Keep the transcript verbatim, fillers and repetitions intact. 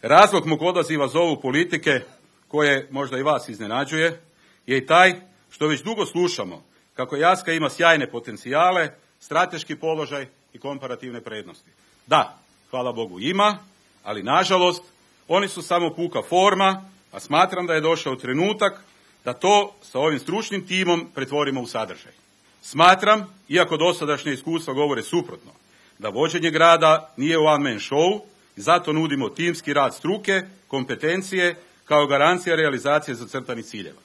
Razlog mog odaziva zovu politike, koje možda i vas iznenađuje, je i taj što već dugo slušamo kako Jaska ima sjajne potencijale, strateški položaj i komparativne prednosti. Da, hvala Bogu ima, ali nažalost oni su samo puka forma, a smatram da je došao trenutak da to sa ovim stručnim timom pretvorimo u sadržaj. Smatram, iako dosadašnje iskustva govore suprotno, da vođenje grada nije one man show i zato nudimo timski rad struke, kompetencije kao garancija realizacije zacrtanih ciljeva.